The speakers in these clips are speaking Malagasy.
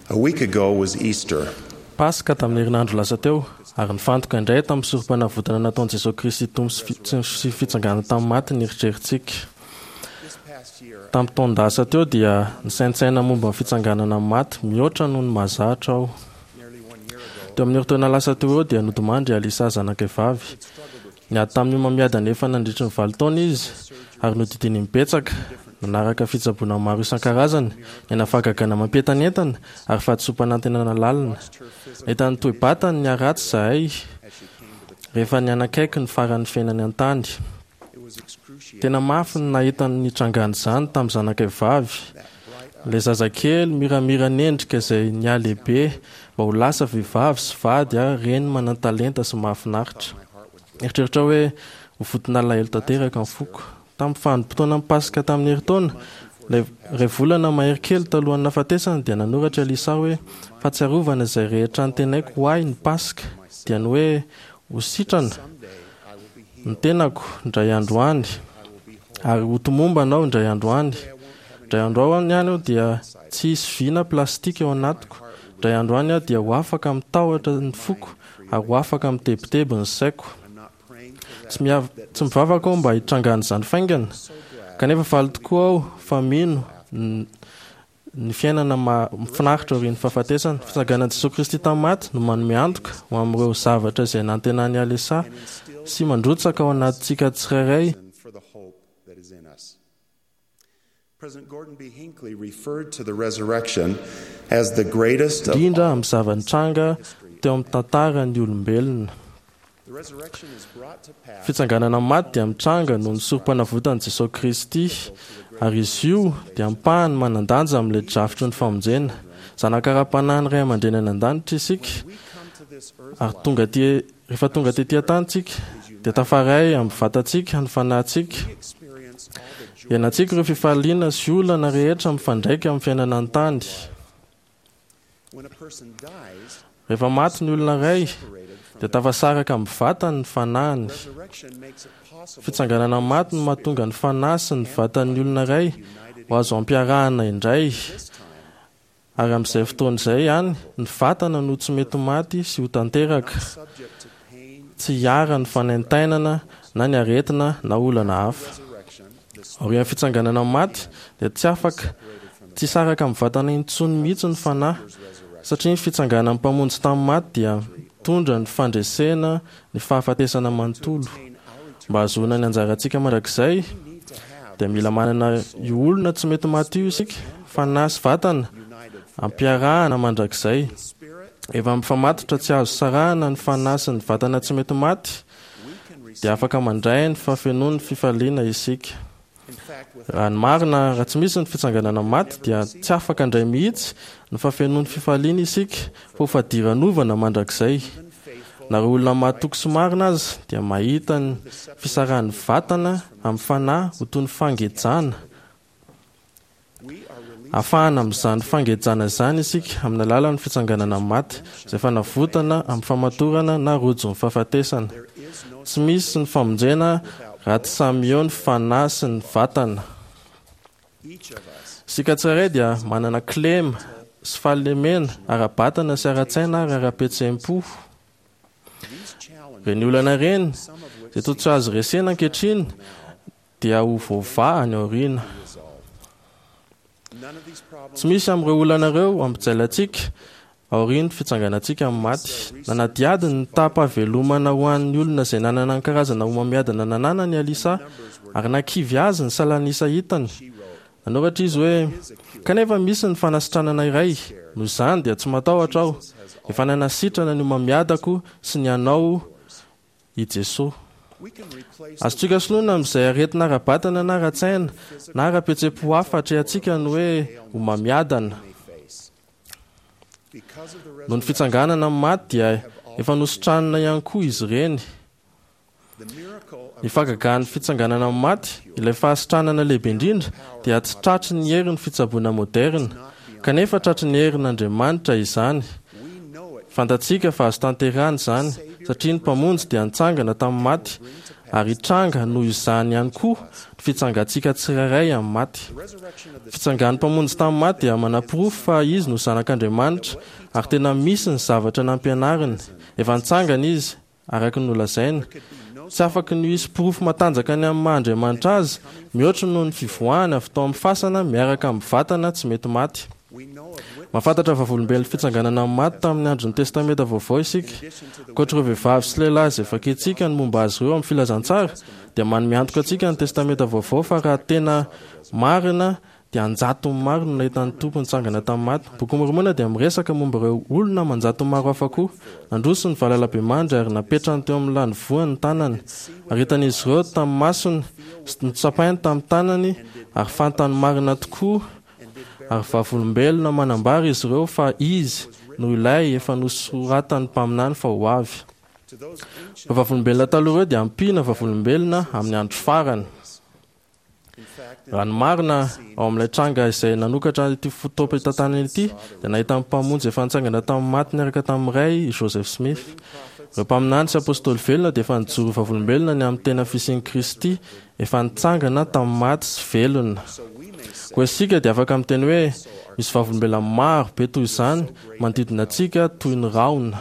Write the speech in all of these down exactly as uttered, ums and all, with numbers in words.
A week ago was Easter. Paska tamin'ny herinandro lasa teo, ary nifantoka indray tamin'ny sorom-panavotana nataon'i Jesosy Kristy Tompo sy fi- sy fitsanganana tamin'ny maty ny eritreritsika. Tamin'ny taon-dasa teo dia nisaintsaina momba ny fitsanganana amin'ny maty mihoatra noho ny mahazatra aho. Teo amin'ny herintaona lasa teo eo dia nodimandry i Alisa zanakay vavy. Niady tamin'ny homamiadana efa nandritry ny valo taona izy ary nodidiany imbetsaka, nanaraka fitsaboana maro isan-karazany, niaina fahagagana mampientanentana ary fahadisoam-panantenana lalina. Nahita ny toe-batany niharatsy izahay rehefa nianakaiky ny faran'ny fiainany an-tany. Tena mafy ny nahita ny nitrangan'izany tamin'ny zanakay vavy. Ilay zazakely miramira nendrika izay nihalehibe mba ho lasa vehivavy sy vady ary reny manan-talenta sy mahafinaritra. Eritreritra hoe ho vonton'alahelo tanteraka ny foko. Tamin'ny vanim-potoanan'ny Paska tamin'ny herintaona, ilay iray volana mahery kely talohan'ny nahafatesany dia nanoratra Elisa hoe fahatsiarovana izay rehetra antenaiko ho ahy ny Paska, dia ny hoe ho sitrana ny tenako indray andro any ary ho tomombana aho indray andro any. Indray andro any aho dia tsy hisy vy na plastika ao anatiko. Indray andro any aho dia ho afaka amin'ny tahotra ny foko ary ho afaka amin'ny tebiteby ny saiko. Tsy miav- tsy mivavaka aho mba hitrangan'izany faingana, kanefa faly tokoa aho fa mino ny ny fiainana mahafinaritra aorian'ny fahafatesana. Fitsanganan'i Jesosy Kristy tamin'ny maty no manome antoka ho amin'ireo zavatra izay nantenan'i Alisa sy mandrotsaka ao anatintsika tsirairay. For the hope that is in us. President Gordon B. Hinckley referred to the resurrection as the greatest of indrindra amin'ny zava-nitranga teo amin'ny tantaran'ny olombelona. The resurrection is brought to pass Fitsanganana amin'ny maty dia mitranga noho ny sorom-panavotan'i Jesosy Kristy, ary izy io dia ampahany manan-danja amin'ilay drafitry ny famonjena. Zanaka ara-panahin'ny ray aman-dreny any an-danitra isika, ary tonga aty rehefa tonga tety an-tany tsika dia tafaray amin'ny vatantsika ny fanahintsika. Iainantsika ireo fifaliana sy olana rehetra mifandraika amin'ny fiainana an-tany. when a person dies. Rehefa maty ny olona iray dia tafasaraka amin'ny vatany ny fanahiny. Resurrection makes it possible Fitsanganana amin'ny maty no mahatonga ny fanahy sy ny vatan'ny olona iray ho azo ampiarahana indray. Ary amin'izay fotoana izay ihany, ny vatana no tsy mety maty sy ho tanteraka. subject to pain, Tsy hiharan'ny fanaintainana na ny aretina na olana hafa. resurrection, the Aorian'ny fitsanganana amin'ny maty dia tsy afaka tsy saraka amin'ny vatana intsony mihitsy ny fanahy, satria ny fitsanganan'ny mpamonjy tamin'ny maty dia mitondra ny fandresena ny fahafatesana manontolo. Mba hahazoana ny anjarantsika mandrakizay dia mila manana io olona tsy mety maty io isika, fanahy sy vatana ampiarahana mandrakizay. Efa mifamatotra tsy azo sarahana ny fanahy sy ny vatana tsy mety maty dia afaka mandray ny fahafenoan'ny fifaliana isika. In fact, with Raha ny marina, raha tsy misy ny fitsanganana maty dia tsy afaka handray mihitsy ny fahafenoan'ny fifaliana isika fa ho fadiranovana mandrakizay. Na ireo olona mahatoky sy marina aza dia mahita ny fisarahan'ny vatana amin'ny fanahy ho toy ny fangejana. we are released Afahana amin'izany fangejana izany isika amin'ny alalan'ny fitsanganana amin'ny maty izay fanavotana amin'ny famatorana na rojon'ny fahafatesana. There is no Tsy misy ny famonjena raha tsy samy eo ny fanahy sy ny vatana. each of us Isika tsirairay dia manana kilema sy fahalemena ara-batana sy ara-tsaina ary ara-pihetseham-po. these challenges, Ireny olana ireny some of which izay toa tsy azo resena ankehitriny dia ho voavaha any aoriana. resolved. None of these problems Tsy misy amin'ireo olana ireo hampijaly antsika aorian'ny fitsanganantsika amin'ny maty. Nanadihady ny taham-pahavelomana ho an'ny olona izay nanana ny karazana homamiadana nananany Alisa ary nakivy azy ny salanisa hitany. Nanoratra izy hoe kanefa misy ny fanasitranana iray, noho izany dia tsy matahotra aho. Efa nanasitrana ny homamiadako sy ny anao i Jesosy. we can replace Azontsika soloina amin'izay aretina ara-batana na ara-tsaina na ara-pihetseham-po hafa atrehantsika ny hoe homamiadana. may face. Because of the Noho ny resurrection, fitsanganana amin'ny maty dia efa nositranina ihany koa izy ireny. the miracle of Ny fahagagan'ny fitsanganana amin'ny maty, ilay fahasitranana lehibe indrindra, dia tsy tratry ny herin'ny fitsaboana moderna, kanefa tratry ny herin'Andriamanitra izany. we know it Fantatsika fa azo tanterahana izany, satria ny mpamonjy dia nitsangana tamin'ny maty ary hitranga noho izany ihany koa ny fitsangantsika tsirairay amin'ny maty. Fitsangan'ny Mpamonjy tamin'ny maty dia manaporofo fa izy no Zanak'Andriamanitra ary tena misy ny zavatra nampianariny. Efa nitsangana izy araka ny nolazainy. Tsy afaka ny hisy porofo matanjaka ny amin'ny maha Andriamanitra azy mihoatra noho ny fivoahany avy tao amin'ny fasana miaraka amin'ny vatana tsy mety maty. Mahafantatra vavolombelon'ny fitsanganana amin'ny maty tamin'ny andron'ny Testamenta Vaovao isika. Ankoatra ireo vehivavy sy lehilahy izay vakintsika ny momba azy ireo amin'ny filazantsara, dia manome antoka antsika ny Testamenta Vaovao fa raha tena marina dia an-jatony maro no nahita ny Tompo nitsangana tamin'ny maty. Boky Mormona dia miresaka momba ireo olona aman-jatony maro hafa koa. Nandroso ny valalabemandry ary napetrany teo amin'ny lanivoany ny tanany. Ary hitan'izy ireo tamin'ny masony sy notsapainy tamin'ny tanany ary fantany marina tokoa ary vavolombelona manambara izy ireo fa izy no ilay efa nosoratan'ny mpaminany fa ho avy. Ireo vavolombelona taloha ireo dia ampiana vavolombelona amin'ny andro farany. Raha ny marina, ao amin'ilay tranga izay nanokatra ity fotoam-pitantanana ity, dia nahita ny Mpamonjy efa nitsangana tamin'ny maty niaraka tamin'ny Ray i Joseph Smith. Ireo mpaminany sy apôstôly velona dia efa nijoro vavolombelona ny amin'ny tena fisian'i Kristy efa nitsangana tamin'ny maty sy velona. Koa isika dia afaka miteny hoe misy vavolombelona maro be toy izany manodidina antsika toy ny rahona.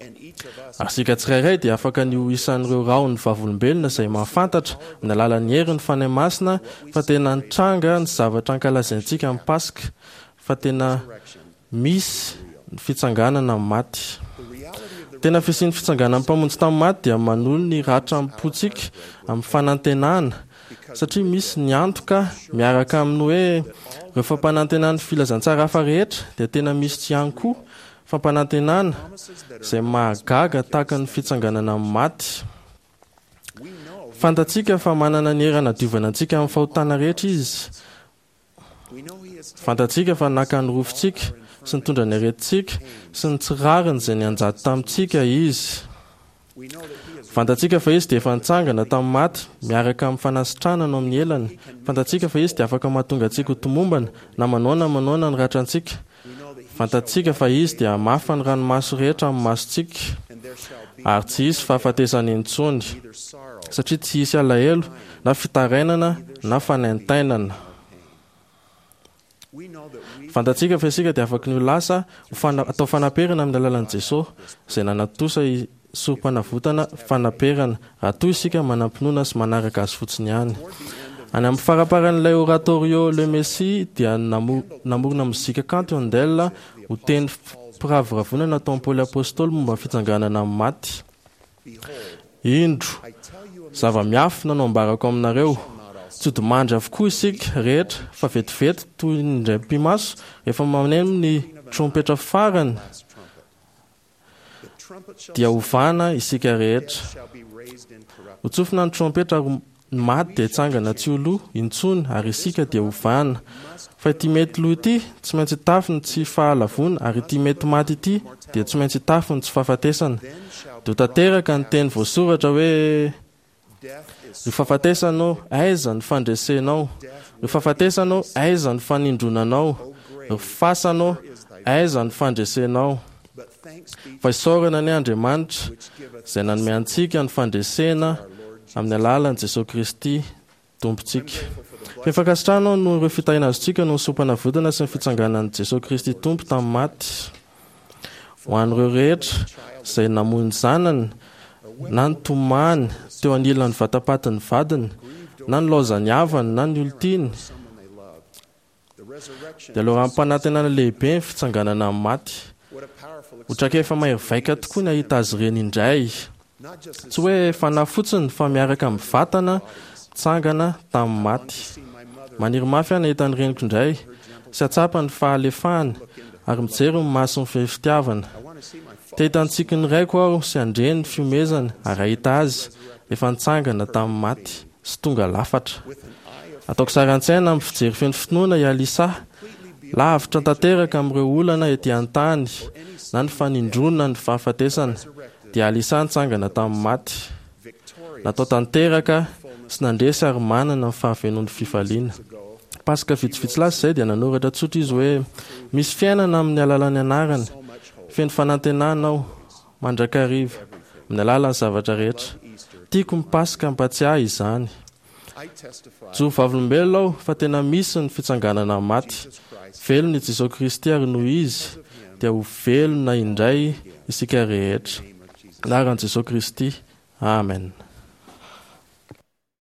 Ary isika tsirairay dia afaka ny ho isan'ireo rahon'ny vavolombelona izay mahafantatra amin'ny alalan'ny herin'ny Fanahy Masina fa tena nitranga ny zavatra ankalazaintsika amin'ny Paska, fa tena misy ny fitsanganana amin'ny maty. Tena fisian'ny fitsanganan'ny Mpamonjy tamin'ny maty dia manolo ny ratram-pontsika amin'ny fanantenana, satria misy ny antoka miaraka amin'ny hoe ireo fampanantenan'ny filazantsara hafa rehetra dia tena misy ihany koa fampanantenana izay mahagaga tahaka ny fitsanganana amin'ny maty. Fantatsika fa manana ny hery hanadiovana antsika amin'ny fahotana rehetra izy. Fantatsika fa naka ny rofintsika sy nitondra ny aretintsika sy ny tsy rariny izay nianjady tamintsika izy. Fantatsika fa izy dia efa nitsangana tamin'ny maty miaraka amin'ny fanasitranana ao amin'ny elany. Fantatsika fa izy dia afaka mahatonga antsika ho tomombana na manao na manao ny ratrantsika. Fantatsika fa izy dia hamafa ny ranomaso rehetra amin'ny masontsika ary tsy hisy fahafatesana intsony, satria tsy hisy alahelo na fitarainana na fanaintainana. Fantatsika fa isika dia afaka ny ho lasa ho fana- atao fanaperana amin'ny alalan'i Jesosy izay nanatosa i sorom-panavotana fanaperana raha toa isika manam-pinoana sy manaraka azy fotsiny ihany. Any amin'ny faramparan'ilay oratorio Le Messie dia namo- namorona mozika kanto Handel ho teny firavoravoana nataon'i Paoly Apôstôly momba ny fitsanganana amin'ny maty. Indro, zava-miafina no ambarako aminareo. Tsy hodimandry avokoa isika rehetra fa vetivety toy ny indray mipi-maso rehefa maneno ny trompetra farany dia hovana isika rehetra. Hotsofina ny trompetra ary ny maty dia hitsangana tsy ho lo intsony ary isika dia hovana. Fa ity mety lo ity tsy maintsy hitafy ny tsy fahalavoana ary ity mety maty ity dia tsy maintsy hitafy ny tsy fahafatesana. Dia ho tanteraka ny teny voasoratra hoe: Ry fahafatesana ô, aiza ny fandresenao? Ry fahafatesana ô, aiza ny fanindronanao? Ry fasana ô, aiza ny fandresenao? Fa isaorana anie Andriamanitra izay nanome antsika ny fandresena amin'ny alalan'i Jesosy Kristy Tompontsika. Feno fankasitrahana aho noho ireo fitahiana azontsika noho ny sorom-panavotana sy ny fitsanganan'i Jesosy Kristy Tompo tamin'ny maty. Ho an'ireo rehetra izay namoy ny zanany na nitomany teo anilan'ny vatapatin'ny vadiny na nilaozan'ny havany na ny olon-tiany, dia loharanom-panantenana lehibe ny fitsanganana amin'ny maty. Ho traikefa mahery vaika tokoa ny hahita azy ireny indray. Tsy hoe fanahy fotsiny fa miaraka amin'ny vatana tsangana tamin'ny maty. Maniry mafy aho ny hahita ny reniko indray sy hahatsapa ny fahalefahany ary mijery ny masony feno fitiavana. Te hahita ny tsikin'ny raiko aho sy handre ny fihomezany ary hahita azy efa nitsangana tamin'ny maty sy tonga lafatra. Ataoko sary an-tsaina amin'ny fijery feno finoana i Alisa, lavitra tanteraka amin'ireo olana ety an-tany na ny fanindronana ny fahafatesana, dia Alisa nitsangana tamin'ny maty, natao tanteraka sy nandresy ary manana ny fahafenoan'ny fifaliana. Paska vitsivitsy lasa izay dia nanoratra tsotra izy hoe, Misy fiainana amin'ny alalan'ny anarany. Feno fanantenana aho, mandrakariva, amin'ny alalan'ny zavatra rehetra. Tiako ny Paska hampatsiahy izany. Mijoro vavolombelona aho fa tena misy ny fitsanganana amin'ny maty. Velona i Jesosy Kristy ary noho Izy dia ho velona indray isika rehetra. Anaran'i Jesosy Kristy. Amen.